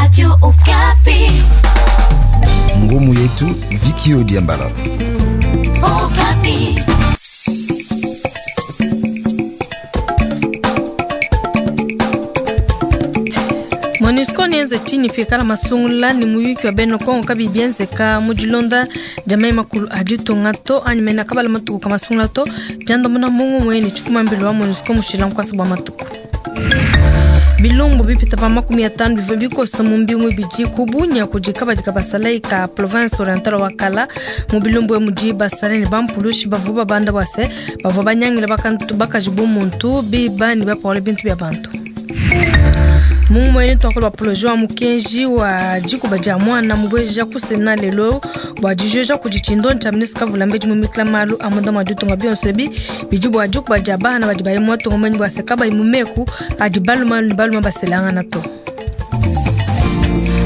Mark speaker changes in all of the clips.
Speaker 1: Radio Okapi.
Speaker 2: Ngumu yetu Vikio Diambala.
Speaker 1: Okapi.
Speaker 3: MONUSCO nienze tshinyi pikala masungula ni muyuki wa bena Kongo kabi bienzeka mu dilonda dia mayi makulu a ditunga to anyi mena kabala matuku ka masungula to diandamuna mungumue ne tshikumambilo wa MONUSCO mushila nkuasa bua matuku. Bilumbu bipita pa 50 bivua bikosa mu mbingu ibidi ku Bunia kudi kabadi ka basalayi ka province orientale wa Kala. Mu bilumbu emu mudi basalayi ne bampulushi bavua babanda bua se bavua banyangila bakantu bakaji bu muntu biba ne bapola bintu bia bantu. Mungumue tuakula bua projet wa mukenji wa dikuba dia muana mubueja ku Sena lelo bua dijoja kudi tshindondi tshia ministre Kavula Mbedi mu mikila malu a munda mua ditunga. Bionso ebi bidi bua dikuba dia bana badi bayi mu matunga menyi bua se kabayi mu meku adi baluma ne baluma baselangana to.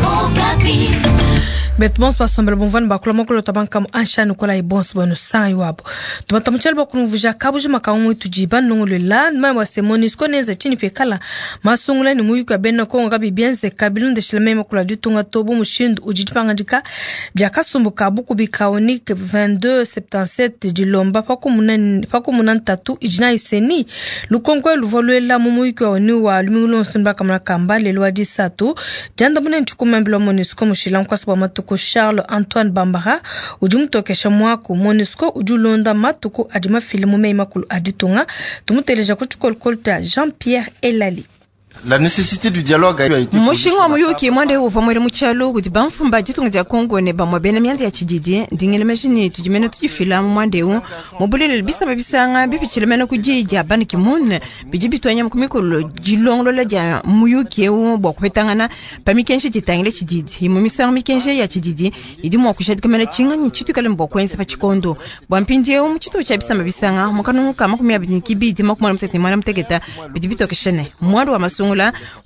Speaker 1: Okapi.
Speaker 3: Betu bonso basombela bumvua ne bakula mokolo twa bankamu anshani kola ibonso bwenu sangi wabo tumata mutshela bakunumvuja kabujima ka umwe tudi banongolola nmai wa se MONUSCO nenze tshinyi pikala masungula ne muyuki wa bena Kongo kabi bienzeka bilondeshila meyi makulu a ditunga to bu mushindu udi dipangadika dia kasumbu ka bukubi ka ONIC 2277 dilomba pakumuna ntatu idi nayi seni lukonko luvua luela mu muyuki wa ONU wa lumingu luonso ne bakamona kamba lelo wa disatu diandamuna ne tshikumambila wa MONUSCO mushila nkuasa bua matuku Charles Antoine Bambara udi mutokesha muaku MONUSCO udi ulonda matuku adi mafile mu meyi makulu a ditunga. Tumuteleja ku tshikolokolo tshia Jean-Pierre Elali.
Speaker 4: La nécessité du dialogue a été
Speaker 5: Mushinga wa muyuki mwanda uvua mwele mu tshialo kudi bamfumba ditunga dia Kongo ne bamue bena mianda ya tshididi ndingele meji tudi mene tudifila mu mwanda eu mu bulelele bisamba bisanga bipitshile mene ku diyi dia Ban Ki-moon bidi bituanya ku mikolo dilongolola dia muyuki eu bua kupetangana pa mikenji ditangile tshididi. Imue misangu mikenji ya tshididi idi mua kujadika mene tshinganyi tshitukale bua kuenza pa tshikondo bua mpindieu mu tshitupa tshia bisamba bisanga mu kanungu ka 20 28 bidi bitokesha ne mwanda wa masungula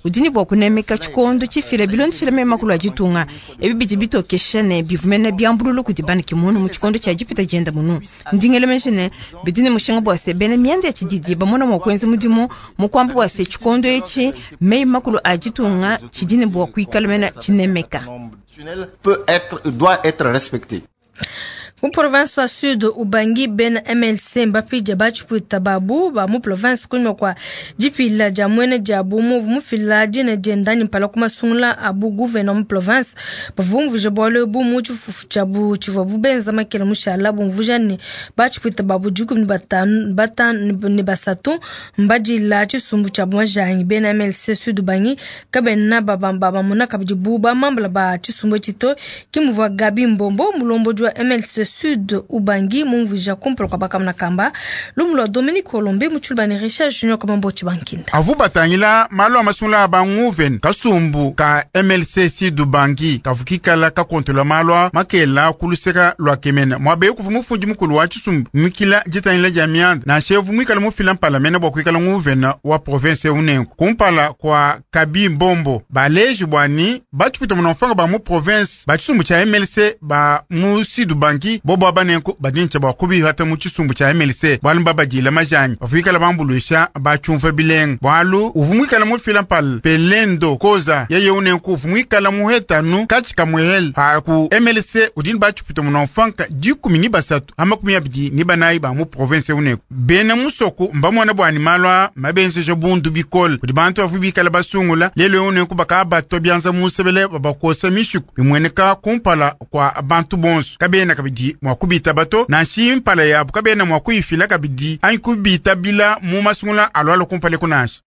Speaker 5: udi ne bua kunemeka tshikondo tshifila bilondeshila meyi makulu a ditunga. Ebi bidi bitokesha ne bivumene biambululu kudi Ban Ki-moon mu tshikondo tshia dipita dienda munu. Ndingele meji ne bidi ne mushinga bua se bena mianda ya tshididi bamona mua kuenza mudimu mu kuamba bua se tshikondo etshi meyi makulu a ditunga tshidi ne bua kuikala mena tshinemeka.
Speaker 4: peut être, doit être respecté.
Speaker 3: Mu province wa Sud Ubangi bena MLC mbapidja batshipuita babu ba mu province kunyima kua dipila dia muena diabu muvu mufila dina dienda anyi mpala ku masungula a bu gouverneur mu province. Bavua bumvuija bualu ebu mu tshifufu tshiabu tshivua benza makela mushala bumvuija ne batshipuita babu 15 5 ne basatu mbadila tshisumbu tshiabu majangi. Bena MLC Sud Ubangi kabena babamona kabidi bu bamambala ba tshisumbu etshi to. Ke muvua Gabi Mbombo mulombodi wa MLC Sud Ubangi mumvuija kumpala kua bakamuna kamba lumu lua Dominique Olombe mu tshiluba ne Richard Junior Kamambo Tshibankinda.
Speaker 6: Avu batangila malu a masungula a banguven kasumbu ka MLC Sud Ubangi kavukikala kakontola malu a makela kuluseka lua kemena mwabe kuvu mufundi mukulu wa tshisumbu mikila ditangila dia mianda na shevu mwikala mufila mpala mena bua kuikala nguvena wa province unenku kumpala kwa Kabi Mbombo baleji bwani batshipita munamfanga ba mu province ba tshisumbu tshia MLC ba mu Sud Ubangi bobo abanenku badintsha bua kubihata mu tshisumbu tshia MLC bwalu mbabadila majanyi bavuikala bambuluisha batshiumva bilenga bwalu uvu mwikala mufila mpala pelendo koza yeye unenku uvu mwikala muhetanu katshi kamuhele ha ku MLC udini batshipita munamfanka 13 ha 24 ba mu province unenku bena musoku mbamona bwani malwa mabenzeja bundu bikole kudi bantu bavu bikala basungula lelo unenku bakabato bianza musebele babakosa mishiku bimweneka kumpala kwa bantu bonso kabena kabidi mwa kubita bato na mpala yabu kabena mwa kuifila kabidi anyi kubita bila mu masungula alwalo kumpale kunasha.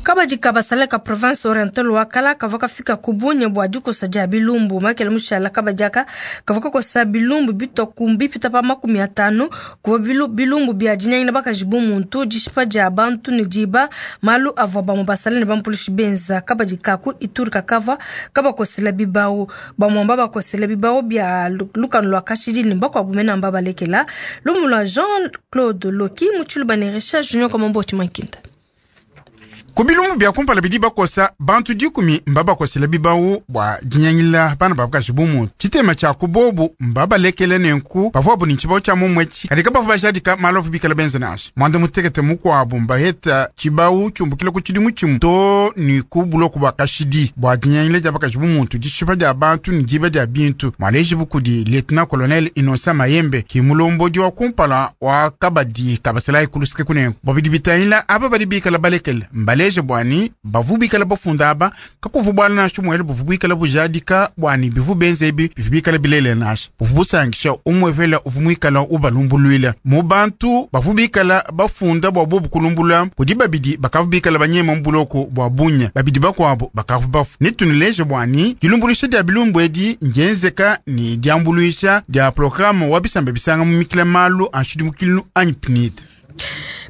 Speaker 3: Kabadi kabasala ka province orientale wa Kala kavua kafika ku Bunia bua dikosa dia bilumbu makela mushala kabadi aka kavua kakosa bilumbu bitoku bipita pa 50 kuvua bilumbu bia dinyangila bakaji bu muntu dishipa dia bantu ne diba malu avua bamue basala ne bampulushi benza. Kabadi kaku Ituri kakavua kabakosela bibawu bamue babakosela bibawu bia lukanu lua kashidi ne bakuabu mena mbabalekela. Lumu lua Jean Claude Loki mu tshiluba ne Richard Junior Kamambo Tshimankinda.
Speaker 6: Ku bilumbu bia kumpala bidi bakosa bantu 10 mbabakosela bibawu bua dinyangila bana babakaji bumuntu. Tshitema tshia kubobu mbabalekele nenku bavuabu ni tshibawu tshia mumwetshi kadi kabavu bajadika malovu bikala benza nansha. Mwanda mutekete mukuabu mbaheta tshibawu tshiumbukila ku tshidimu tshimu to ni ku buloku bua kashidi bua dinyangila dia bakaji bumuntu, dishipa dia bantu ni diba dia bintu. Mwalejibu kudi Lieutenant Colonel Innocent Mayembe ki mulombodi wa kumpala wa kabadi kabaselayi kulusike kunenku. Bobidi bitangila aba badi bikala balekele mbaleje bwani bavu bikala bafunda aba kakuvu bwala nashu mwele buvu bikala bujadika bwani bivu benzebi bivu bikala bilele nasha buvu busangisha umwevela uvu mwikala ubalumbulwila mu bantu bavu bikala bafunda bwa bobu kulumbula kudi babidi bakavu bikala banyema mbuloko bwa bunya babidi bakwabo bakavu bafu nitunuleje bwani dilumbulisha dia bilumbu edi njenzeka ni diambuluisha dia programme wa bisamba bisanga mu mikila malu anshidimukilu anyi PNID.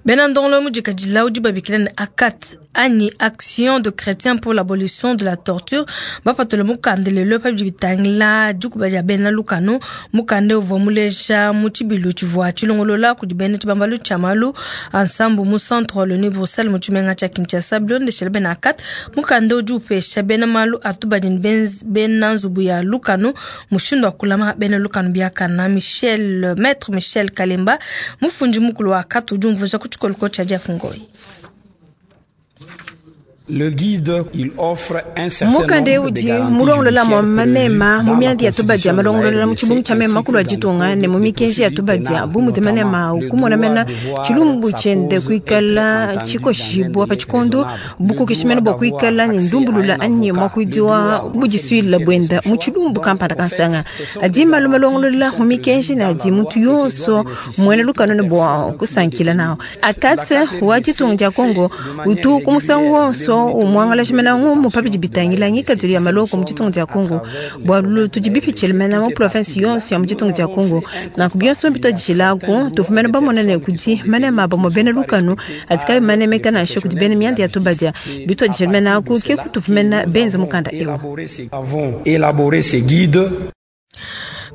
Speaker 3: Bena ndongolo mudikadila udi babikila ne ACAT anyi Action de Chrétien pour l'abolition de la torture bapatule mukanda lelo pa bidi bitangila dikuba dia bena lukanu. Mukanda uvua muleja mu tshibilu tshivua tshilongolola kudi bena tshibambalu tshia malu ensemble mu centre Wallonie Bruxelles mu tshimenga tshia Kinshasa. Bilondeshela bena ACAT, mukanda udi upesha bena malu atubadi ne bena nzubu ya lukanu mushindu wa kulama bena lukanu biakana. Michel Maître Michel Kalemba mufundi mukulu wa ACAT udi umvuija ku tshikoloko tshia Jeff Ngoi.
Speaker 7: Le guide, il offre un certain
Speaker 5: mukande
Speaker 7: nombre de
Speaker 5: udi
Speaker 7: garanties
Speaker 5: mulongolola mwa
Speaker 7: judiciaires
Speaker 5: manema
Speaker 7: prévues
Speaker 5: mu
Speaker 7: dans la
Speaker 5: miandi ya tubadi
Speaker 7: constitution de la
Speaker 5: malongolola mu
Speaker 7: RDC
Speaker 5: tshibungu tshia mema
Speaker 7: ainsi
Speaker 5: makulu
Speaker 7: que
Speaker 5: a
Speaker 7: dans le
Speaker 5: ditunga
Speaker 7: code
Speaker 5: ne mu
Speaker 7: de
Speaker 5: mikenji ya
Speaker 7: procédure
Speaker 5: tubadi
Speaker 7: pénale,
Speaker 5: bu mudi manema
Speaker 7: notamment le
Speaker 5: ukumona
Speaker 7: droit
Speaker 5: mena
Speaker 7: de voir
Speaker 5: tshilumbu
Speaker 7: sa
Speaker 5: tshiende
Speaker 7: cause
Speaker 5: kuikala
Speaker 7: être entendue
Speaker 5: tshikoshibua
Speaker 7: dans un
Speaker 5: pa
Speaker 7: délai
Speaker 5: tshikondo
Speaker 7: raisonnable, le
Speaker 5: bukokeshimene
Speaker 7: droit
Speaker 5: bua kuikala
Speaker 7: d'avoir
Speaker 5: ne
Speaker 7: accès à
Speaker 5: ndumbulula
Speaker 7: un
Speaker 5: anyi
Speaker 7: avocat,
Speaker 5: mwa
Speaker 7: le
Speaker 5: kuidiwa
Speaker 7: droit au conseil
Speaker 5: budisuila
Speaker 7: judiciaire de
Speaker 5: bwenda
Speaker 7: son
Speaker 5: mu
Speaker 7: choix.
Speaker 5: tshilumbu
Speaker 7: Donc,
Speaker 5: kampanda
Speaker 7: au fait,
Speaker 5: kansanga
Speaker 7: ce sont
Speaker 5: adi
Speaker 7: des
Speaker 5: malu
Speaker 7: garanties qui
Speaker 5: malongolola
Speaker 7: sont
Speaker 5: mu mikenji
Speaker 7: prévues
Speaker 5: ne
Speaker 7: dans la
Speaker 5: adi
Speaker 7: loi
Speaker 5: muntu
Speaker 7: et que doit
Speaker 5: yonso mwene
Speaker 7: bénéficier
Speaker 5: lukanu ne
Speaker 7: toute
Speaker 5: bua
Speaker 7: personne qui est
Speaker 5: kusankila
Speaker 7: détenue.
Speaker 5: nawo ACAT
Speaker 7: La
Speaker 5: wa ditunga
Speaker 7: CAT-RDC
Speaker 5: dia
Speaker 7: fait
Speaker 5: Kongo
Speaker 7: de manière
Speaker 5: utu ku musangu
Speaker 7: régulière le
Speaker 5: wonso umwangala
Speaker 7: monitoring de
Speaker 5: tshimena ngumu pa
Speaker 7: l'état de
Speaker 5: bidi
Speaker 7: détention de la
Speaker 5: bitangila
Speaker 7: RDC
Speaker 5: ngikadilu ya
Speaker 7: puisque nous
Speaker 5: maloko mu
Speaker 7: sommes
Speaker 5: ditunga dia
Speaker 7: à
Speaker 5: Kongo
Speaker 7: travers les
Speaker 5: bua lulu
Speaker 7: provinces de
Speaker 5: tudi
Speaker 7: la
Speaker 5: bipitshile
Speaker 7: RDC,
Speaker 5: mena
Speaker 7: tout
Speaker 5: mu
Speaker 7: est
Speaker 5: province
Speaker 7: parti de là.
Speaker 5: yonso ya mu
Speaker 7: Nous
Speaker 5: ditunga dia
Speaker 7: avons
Speaker 5: Kongo
Speaker 7: fait un
Speaker 5: nanku
Speaker 7: constat.
Speaker 5: bionso
Speaker 7: Il y a
Speaker 5: bitwadishilaku
Speaker 7: certains droits
Speaker 5: tufumene
Speaker 7: des
Speaker 5: bamona ne
Speaker 7: personnes qui
Speaker 5: kudi
Speaker 7: sont
Speaker 5: manema
Speaker 7: détenues qui
Speaker 5: bamue
Speaker 7: ne
Speaker 5: bena
Speaker 7: sont pas
Speaker 5: lukanu
Speaker 7: respectées
Speaker 5: atikabi
Speaker 7: par
Speaker 5: manemeka
Speaker 7: les
Speaker 5: nansha kudi
Speaker 7: professionnels
Speaker 5: bena
Speaker 7: de la
Speaker 5: mianda ya
Speaker 7: justice.
Speaker 5: tubadia
Speaker 7: C'est à
Speaker 5: bitwadishile mena
Speaker 7: partir de
Speaker 5: aku ke
Speaker 7: cela que
Speaker 5: kutufumena
Speaker 7: nous
Speaker 5: benza
Speaker 7: avons
Speaker 5: mukanda ewu.
Speaker 7: élaboré ces guides.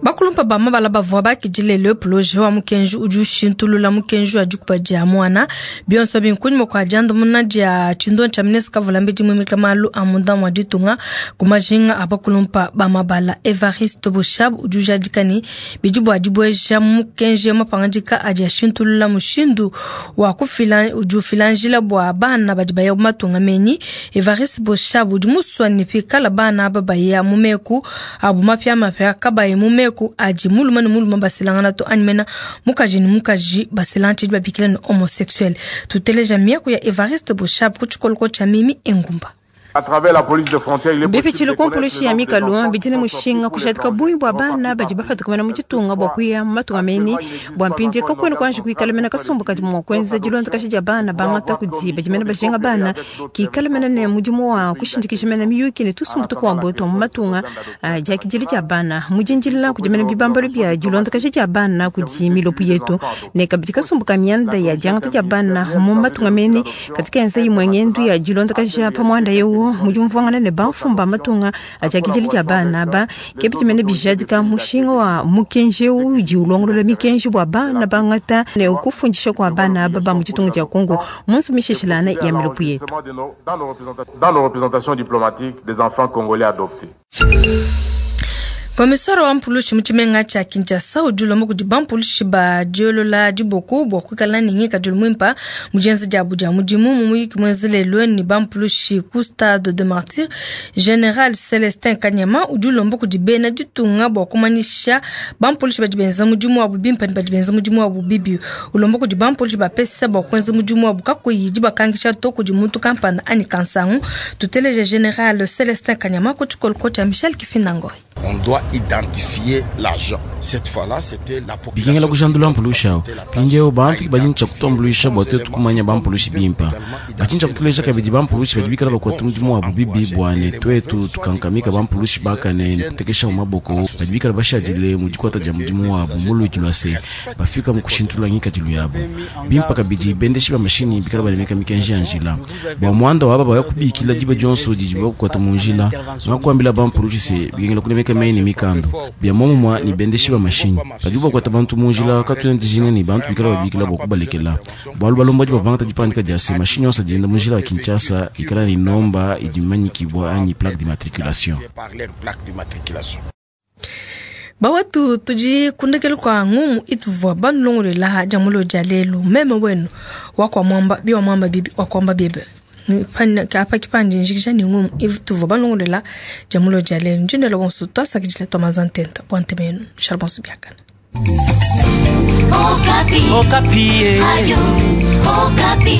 Speaker 3: Bakulumpa ba mabala bavua bakidile le projet wa mukenji udi ushintulula mukenji wa dikuba dia mwana bionso binkunyima kua diandamuna dia tshindo tshia ministre kavulambedi muimika malu a munda mua ditunga ku majinga a bakulumpa ba mabala. Evariste Boshab udi ujadika ne bidi bua dibueja mukenji mapangadika adi ashintulula mushindu wa kufila udi ufila njila bua bana badi baya mu matunga menyi. Evariste Boshab udi musua ne pikala bana aba baya mu meku abu mapiamapia kabayi mu meku adi mulume ne mulume baselangana to anyi mena mukaji ne mukaji baselangana tshidi babikila ne homosexuel. Tuteleja miaku ya Evariste Boshab ku tshikoloko tshia Mimi Engumba.
Speaker 8: À travers la police de frontière, il est possible
Speaker 5: bipitshile
Speaker 8: de connaître le
Speaker 5: kumpulushi ya
Speaker 8: nombre des
Speaker 5: mikalu
Speaker 8: enfants qui
Speaker 5: bidine
Speaker 8: sont sortis
Speaker 5: mushinga
Speaker 8: pour
Speaker 5: kushadika
Speaker 8: l'étranger,
Speaker 5: bungi bua bana
Speaker 8: repartis
Speaker 5: badi
Speaker 8: par pays.
Speaker 5: bapatuka mena mu ditunga bua kuya mu matunga meni
Speaker 8: Actuellement, il n'existe
Speaker 5: bua
Speaker 8: pas
Speaker 5: mpindi
Speaker 8: encore un
Speaker 5: kakuena
Speaker 8: organe
Speaker 5: kuanji
Speaker 8: central
Speaker 5: kuikala mena
Speaker 8: pour faire le
Speaker 5: kasumbu kadi
Speaker 8: suivi.
Speaker 5: mua kuenza
Speaker 8: Sauf
Speaker 5: dilonda kashi
Speaker 8: adoption
Speaker 5: dia bana
Speaker 8: pour
Speaker 5: bangata
Speaker 8: avoir
Speaker 5: kudi
Speaker 8: comme
Speaker 5: badi mena
Speaker 8: mission de
Speaker 5: bajinga
Speaker 8: coopérer
Speaker 5: bana
Speaker 8: avec d'autres
Speaker 5: kikala
Speaker 8: services
Speaker 5: mena ne
Speaker 8: encore
Speaker 5: mudimu wa
Speaker 8: des pays
Speaker 5: kushindikisha
Speaker 8: d'accueil.
Speaker 5: mena miyuki ne
Speaker 8: En
Speaker 5: tusumbu
Speaker 8: attendant la
Speaker 5: tukuambo twa
Speaker 8: création
Speaker 5: mu
Speaker 8: de cet
Speaker 5: matunga
Speaker 8: organe d'adoption
Speaker 5: diakidile dia
Speaker 8: international,
Speaker 5: bana mudindilila
Speaker 8: il
Speaker 5: kudi mena
Speaker 8: propose
Speaker 5: bibambalu
Speaker 8: l'organisation
Speaker 5: bia dilonda
Speaker 8: diplomatique
Speaker 5: kashi dia bana
Speaker 8: du
Speaker 5: kudi
Speaker 8: service de
Speaker 5: milopu
Speaker 8: suivi des
Speaker 5: yetu
Speaker 8: enfants adoptés.
Speaker 5: ne kabidi kasumbu
Speaker 8: Aussi,
Speaker 5: ka mianda
Speaker 8: la
Speaker 5: ya
Speaker 8: commission
Speaker 5: diangata dia bana
Speaker 8: interministérielle
Speaker 5: mu
Speaker 8: chargée
Speaker 5: matunga
Speaker 8: des dossiers
Speaker 5: meni
Speaker 8: d'adoption
Speaker 5: katika enza imwe ngendu ya
Speaker 8: internationale
Speaker 5: dilonda
Speaker 8: a
Speaker 5: kashi
Speaker 8: fait
Speaker 5: pa mwanda
Speaker 8: réaliser
Speaker 5: yewu
Speaker 8: quelques
Speaker 5: mudi umvuangana ne
Speaker 8: missions
Speaker 5: bamfumba
Speaker 8: d'adoption
Speaker 5: matunga
Speaker 8: en
Speaker 5: ajakidile dia
Speaker 8: collaboration
Speaker 5: bana
Speaker 8: avec
Speaker 5: ba
Speaker 8: les
Speaker 5: kebidi
Speaker 8: autres
Speaker 5: mene
Speaker 8: autorités des
Speaker 5: bijadika
Speaker 8: pays
Speaker 5: mushinga
Speaker 8: d'accueil.
Speaker 5: wa mukenji
Speaker 8: Ce
Speaker 5: ewu
Speaker 8: qui
Speaker 5: udi
Speaker 8: justifie
Speaker 5: ulongolola
Speaker 8: l'intérêt
Speaker 5: mikenji bua
Speaker 8: de
Speaker 5: bana
Speaker 8: l'article
Speaker 5: bangata ne
Speaker 8: 3
Speaker 5: kufundisha
Speaker 8: qui
Speaker 5: kwa
Speaker 8: prévoit
Speaker 5: bana aba ba
Speaker 8: l'obligation
Speaker 5: mu
Speaker 8: pour
Speaker 5: ditunga
Speaker 8: les
Speaker 5: dia Kongo
Speaker 8: adoptants
Speaker 5: munsu
Speaker 8: de
Speaker 5: mishishilana
Speaker 8: procéder à
Speaker 5: ya milopu yetu.
Speaker 8: l'enregistrement dans nos représentations diplomatiques des enfants congolais adoptés.
Speaker 3: Komisara wa mpulushi mu tshimenga tshia Kinshasa udi ulomba kudi bampulushi ba diolola diboko bua kuikala ne ngikadilu muimpa mu dienza diabu dia mudimu. Mu muyiki muenza lelu ne bampulushi ku stade de Martyr, General Celestin Kanyama udi ulomba kudi bena ditunga bua kumanyisha bampulushi badi benza mudimu wabu bimpe ne badi benza mudimu wabu bibi. Ulomba kudi bampulushi bapesa bua kuenza mudimu wabu kakuyi dibakangisha to kudi muntu kampanda anyi kansangu. Tuteleja General Celestin Kanyama ku tshikoloko tshia Michel Kifindangoy.
Speaker 4: On doit identifier l'argent. Cette fois-là, c'était la
Speaker 9: bikengela
Speaker 4: population qui
Speaker 9: kujandula
Speaker 4: doit
Speaker 9: mpulushi awo
Speaker 4: faciliter la tâche
Speaker 9: mpindiewu
Speaker 4: à
Speaker 9: bantu badi ntsha
Speaker 4: identifier les
Speaker 9: kutuambuluisha
Speaker 4: bons
Speaker 9: bua twetu
Speaker 4: éléments
Speaker 9: kumanya
Speaker 4: comme
Speaker 9: bampulushi
Speaker 4: ils peuvent
Speaker 9: bimpa
Speaker 4: également
Speaker 9: bachintsha
Speaker 4: identifier les
Speaker 9: kutuleja
Speaker 4: mauvais
Speaker 9: kabidi
Speaker 4: éléments pour
Speaker 9: bampulushi
Speaker 4: que
Speaker 9: badi bikala
Speaker 4: les
Speaker 9: bakuata
Speaker 4: bons
Speaker 9: mudimu
Speaker 4: soient
Speaker 9: wabu bibi
Speaker 4: encouragés
Speaker 9: bua
Speaker 4: et
Speaker 9: ne
Speaker 4: les mauvais
Speaker 9: twetu
Speaker 4: soient
Speaker 9: tukankamika
Speaker 4: découragés pour
Speaker 9: bampulushi
Speaker 4: qu'ils
Speaker 9: bakane ne
Speaker 4: viennent
Speaker 9: kutekesha mu
Speaker 4: utile à
Speaker 9: maboko
Speaker 4: la
Speaker 9: badi
Speaker 4: société.
Speaker 9: bikala
Speaker 4: Et
Speaker 9: bashadile mu
Speaker 4: il
Speaker 9: dikwata
Speaker 4: faudrait
Speaker 9: dia
Speaker 4: que
Speaker 9: mudimu
Speaker 4: les
Speaker 9: wabu
Speaker 4: usagers
Speaker 9: mu luidi
Speaker 4: d'abord
Speaker 9: lua se
Speaker 4: respectent
Speaker 9: bafika mu
Speaker 4: les codes de
Speaker 9: kushintulula
Speaker 4: la route.
Speaker 9: ngikadilu yabu bimpa kabidi bendeshi ba mashini bikala banemeka mikenji ya njila bua muanda waba baya kubikila diba dionso didi bakukwata mu njila ngakuambila bampulushi se bikengela kunemeka banemeka meyi ne mikandu bia momumua ne bendeshi ba mashinyi. Padibu bakuata bantu mu njila, katuena dijinga ne bantu bikala babikila bua kubalekela, bualu balombodi bavua bangata dipangadika dia se, mashinyi onso adi enda mu njila wa Kinshasa ikala ne nomba idi mimanyikibua anyi plaque d'immatriculation.
Speaker 3: Bawetu, tudi kundekelu kua ngumu ituvua banulongoluela dia mulo dia lelu. Meme wenu wakua muamba biwa muamba bibi wakuamba biebe. Apa kipandi njikija ne ngumu ituvua banulongoluela dia mulo dia lelu. Ndindela bonso tuasakidila tua manza ntenta bua ntema yenu. Shala bonso biakana.
Speaker 1: Okapi. Okapi. Radio Okapi.